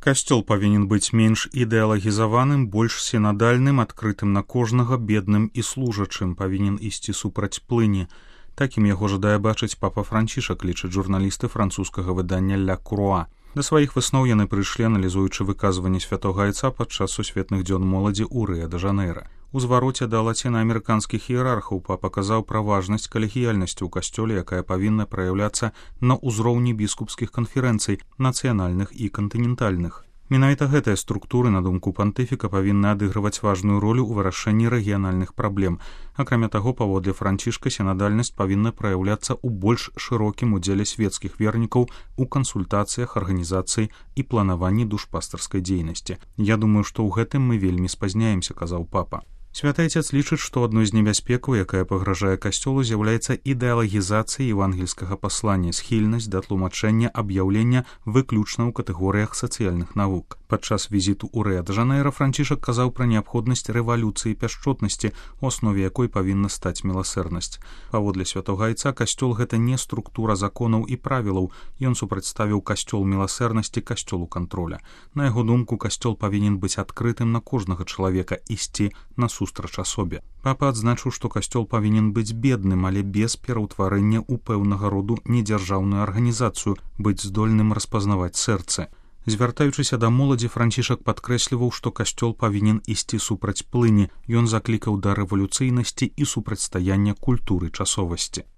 Касцёл павінен быць менш ідэалагізаваным, больш сінадальным, адкрытым на кожнага, бедным і служачым, павінен ісці супраць плыні. Такім яго жадае бачыць папа Францішак, лічаць журналісты французскага выдання «Ля Круа». Да сваіх высноў яны прыйшлі, аналізуючы выказванні святога айца падчас сусветных дзён моладзі ў Рыа-дэ-Жанэйра. У звароце да лацінаамерыканскіх іерархаў папа казаў пра важнасць калегіяльнасці ў касцёле, якая павінна праяўляцца на ўзроўні біскупскіх канферэнцый, нацыянальных і кантынентальных. Менавіта гэтыя структуры, на думку пантыфіка, павінны адыгрываць важную ролю ў вырашэнні рэгіянальных праблем. Акрамя таго, паводле Францішка, сінадальнасць павінна праяўляцца ў больш шырокім удзеле свецкіх вернікаў у кансультацыях, арганізацыі і планаванні душпастарскай дзейнасці. Я думаю, што ў гэтым мы вельмі спазняемся, казаў папа. Святы Айцец лічыць, што адной з небяспекаў, якая пагражае касцёлу, з'яўляецца ідэалагізацыя евангельскага паслання, схільнасць да тлумачэння аб'яўлення выключна ў катэгорыях сацыяльных навук. Падчас візіту ў Рыа-дэ-Жанэйра Францішак казаў пра неабходнасць рэвалюцыі пяшчотнасці, у аснове якой павінна стаць міласэрнасць. Паводле святога Айца, касцёл гэта не структура законаў і правілаў, ён супрацьставіў касцёл міласэрнасці касцёлу кантроля. На яго думку, касцёл павінен быць адкрытым на кожнага чалавека, ісці насустрач асобе. Папа адзначыў, што касцёл павінен быць бедным, але без пераўтварэння ў пэўнага роду недзяржаўную арганізацыю, быць здольным распазнаваць сэрцы. Звяртаючыся да моладзі, Францішак падкрэсліваў, што касцёл павінен ісці супраць плыні. Ён заклікаў да рэвалюцыйнасці і супрацьстаяння культуры часовасці.